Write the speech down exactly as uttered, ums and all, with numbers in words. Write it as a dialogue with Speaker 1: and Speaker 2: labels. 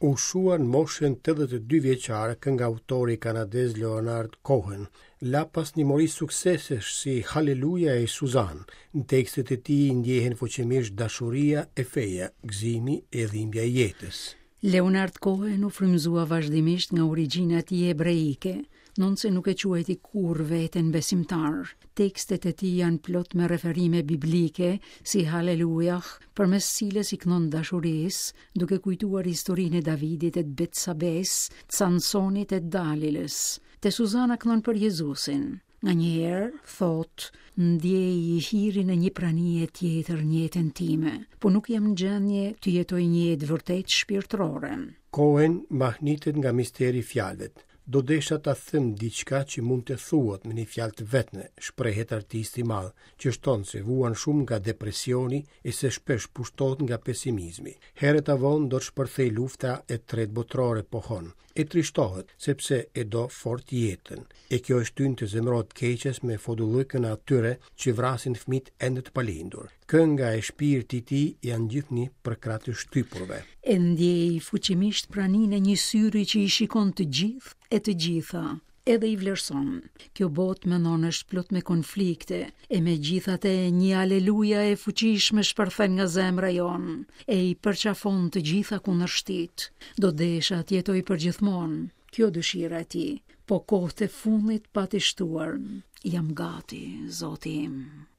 Speaker 1: U shua në moshën tetëdhjetë e dy vjeçare këngautori kanadez Leonard Cohen. La pas një mori suksesesh si Hallelujah e Suzanne. Në tekstet e tij ndjehen fuqimisht dashuria e feja, gëzimi e dhimbja e jetës.
Speaker 2: Leonard Cohen u frymëzua vazhdimisht nga origjina e tij hebreike, ndonëse nuk e quajti kurrë veten besimtar. Tekstet e tij janë plot me referime biblike, si Hallelujah, përmes cilës i këndon dashurisë, duke kujtuar historinë e Davidit e të Betsabes, të Samsonit e të Dalilës. Te Suzana këndon për Jezusin. Nganjëherë, thot, ndjej hirin e një pranie tjetër në jetën time, po nuk jam në gjendje të jetoj një jetë vërtet shpirtërore.
Speaker 1: Cohen mahnitet nga misteri i fjalëve. "Do desha ta them diçka që mund të thuhet me një fjalë të vetme", shprehet artisti i madh, që shton se vuan shumë nga depresioni e se shpesh pushtohet nga pesimizmi. "Herët a vonë do të shpërthej lufta e tretë botërore", pohon. E trishtohet, sepse e do fort jetën. E kjo e shtyn të zemërohet keqes me fodullëkën e atyre që vrasin fëmijët ende të palindur. Kënga e shpirti i tij janë gjithnjë përkrah të shtypurve.
Speaker 2: E ndjej fuqimisht praninë e një syri që i shikon të gjithë e të gjitha, edhe i vlerëson. Kjo botë, mendon, është plot me konflikte, e megjithatë një aleluja e fuqishme shpërthen nga zemra jonë, e i përqafon të gjitha kundërshtitë. Do desha të jetoj përgjithmonë, kjo dëshira e tij, po kohët e fundit pati shtuar: "Jam gati, Zoti im."